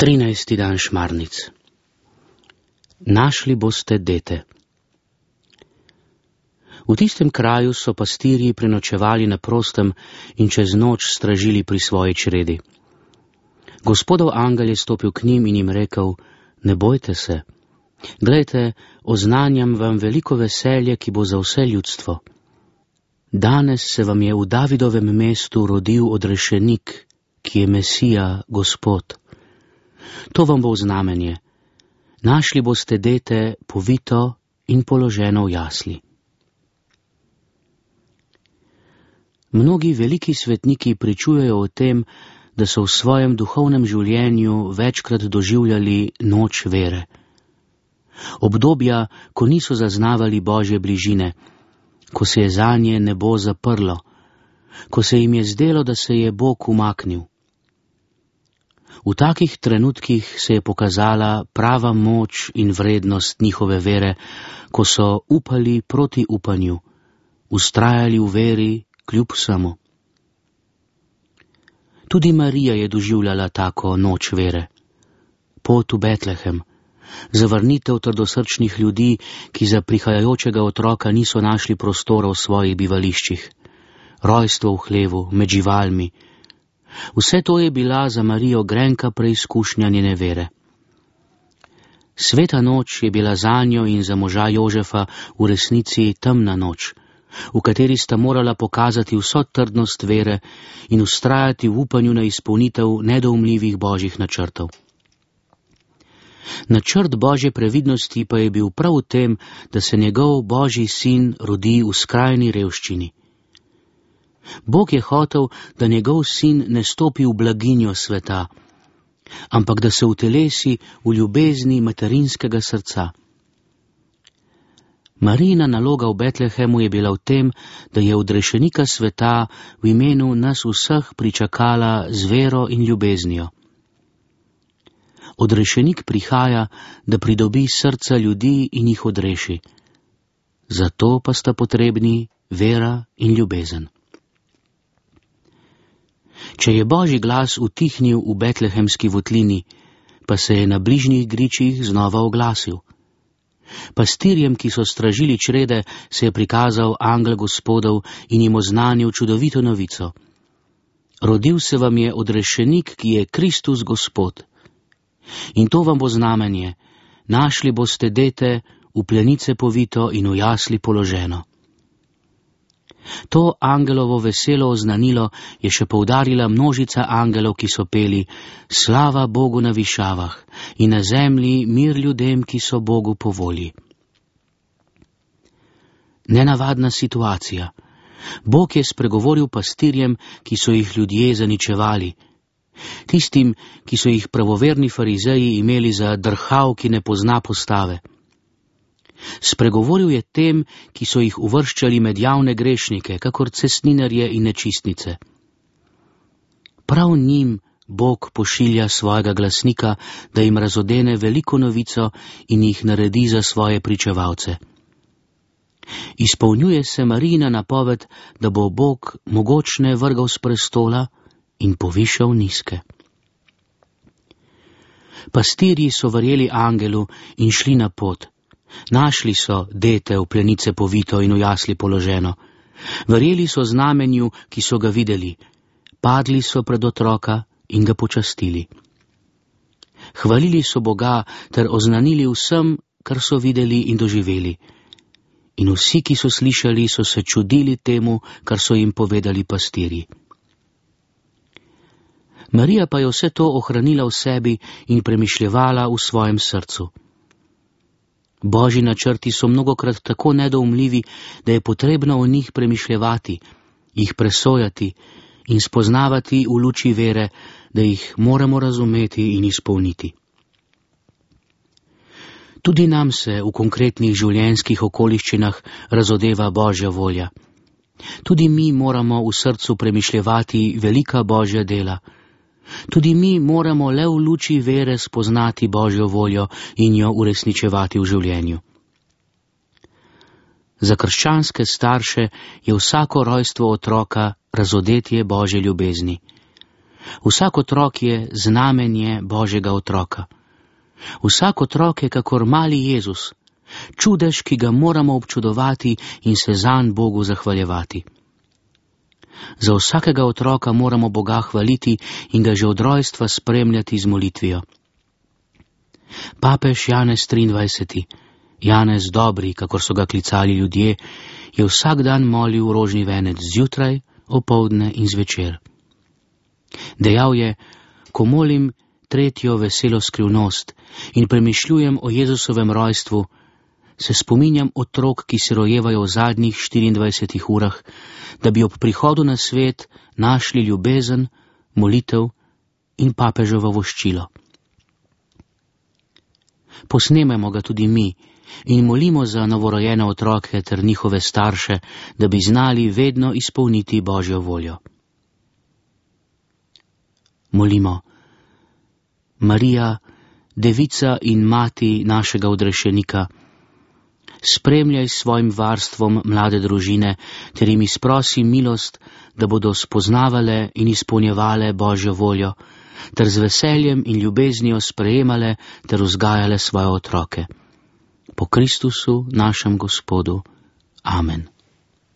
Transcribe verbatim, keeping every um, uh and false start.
Trinajsti dan Šmarnic. Našli boste dete. V tistem kraju so pastirji prenočevali na prostem in čez noč stražili pri svoji čredi. Gospodov angel je stopil k njim in jim rekel: ne bojte se. Glejte, oznanjam vam veliko veselje, ki bo za vse ljudstvo. Danes se vam je v Davidovem mestu rodil odrešenik, ki je Mesija, Gospod. To vam bo znamenje. Našli boste dete povito in položeno v jasli. Mnogi veliki svetniki pričujejo o tem, da so v svojem duhovnem življenju večkrat doživljali noč vere. Obdobja, ko niso zaznavali Božje bližine, ko se je zanje nebo zaprlo, ko se jim je zdelo, da se je Bog umaknil. V takih trenutkih se je pokazala prava moč in vrednost njihove vere, ko so upali proti upanju, ustrajali v veri kljub vsemu. Tudi Marija je doživljala tako noč vere. Pot v Betlehem, zavrnitev trdosrčnih ljudi, ki za prihajajočega otroka niso našli prostora v svojih bivališčih, rojstvo v hlevu, med živalmi. Vse to je bila za Marijo grenka preizkušnja njene vere. Sveta noč je bila zanjo in za moža Jožefa v resnici temna noč, v kateri sta morala pokazati vso trdnost vere in ustrajati v upanju na izpolnitev nedoumljivih božjih načrtov. Načrt Božje previdnosti pa je bil prav v tem, da se njegov Božji sin rodi v skrajni revščini. Bog je hotel, da njegov sin ne stopi v blaginjo sveta, ampak da se utelesi v ljubezni materinskega srca. Marijina naloga v Betlehemu je bila v tem, da je odrešenika sveta v imenu nas vseh pričakala z vero in ljubeznijo. Odrešenik prihaja, da pridobi srca ljudi in jih odreši. Zato pa sta potrebni vera in ljubezen. Če je Božji glas utihnil v betlehemski votlini, pa se je na bližnjih gričih znova oglasil. Pastirjem, ki so stražili črede, se je prikazal angel Gospodov in jim oznanil čudovito novico. Rodil se vam je odrešenik, ki je Kristus Gospod. In to vam bo znamenje, našli boste dete v plenice povito in v jasli položeno. To angelovo veselo oznanilo je še poudarila množica angelov, ki so peli: slava Bogu na višavah in na zemlji mir ljudem, ki so Bogu po volji. Nenavadna situacija. Bog je spregovoril pastirjem, ki so jih ljudje zaničevali, tistim, ki so jih pravoverni farizeji imeli za drhav, ki ne pozna postave. Spregovoril je tem, ki so jih uvrščali med javne grešnike, kakor cestninarje in nečistnice. Prav njim Bog pošilja svojega glasnika, da jim razodene veliko novico in jih naredi za svoje pričevalce. Izpolnjuje se Marijina napoved, da bo Bog mogočne vrgal s prestola in povišal nizke. Pastirji so verjeli angelu in šli na pot. Našli so dete v plenice povito in v jasli položeno. Verjeli so znamenju, ki so ga videli. Padli so pred otroka in ga počastili. Hvalili so Boga ter oznanili vsem, kar so videli in doživeli. In vsi, ki so slišali, so se čudili temu, kar so jim povedali pastirji. Marija pa je vse to ohranila v sebi in premišljevala v svojem srcu. Božji načrti so mnogokrat tako nedoumljivi, da je potrebno o njih premišljevati, jih presojati in spoznavati v luči vere, da jih moramo razumeti in izpolniti. Tudi nam se v konkretnih življenjskih okoliščinah razodeva Božja volja. Tudi mi moramo v srcu premišljevati velika Božja dela. Tudi mi moramo le v luči vere spoznati Božjo voljo in jo uresničevati v življenju. Za krščanske starše je vsako rojstvo otroka razodetje Božje ljubezni. Vsak otrok je znamenje Božjega otroka. Vsak otrok je kakor mali Jezus, čudež, ki ga moramo občudovati in se zanj Bogu zahvaljevati. Za vsakega otroka moramo Boga hvaliti in ga že od rojstva spremljati z molitvijo. Papež Janez triindvajseti, Janez Dobri, kakor so ga klicali ljudje, je vsak dan molil rožni venec zjutraj, opoldne in zvečer. Dejal je, ko molim tretjo veselo skrivnost in premišljujem o Jezusovem rojstvu, se spominjam otrok, ki se rojevajo v zadnjih štiriindvajsetih urah, da bi ob prihodu na svet našli ljubezen, molitev in papeževo voščilo. Posnememo ga tudi mi in molimo za novorojene otroke ter njihove starše, da bi znali vedno izpolniti Božjo voljo. Molimo. Marija, devica in mati našega odrešenika, spremljaj s svojim varstvom mlade družine ter jim izprosi milost, da bodo spoznavale in izpolnjevale Božjo voljo, ter z veseljem in ljubeznijo sprejemale ter vzgajale svoje otroke. Po Kristusu, našem Gospodu. Amen.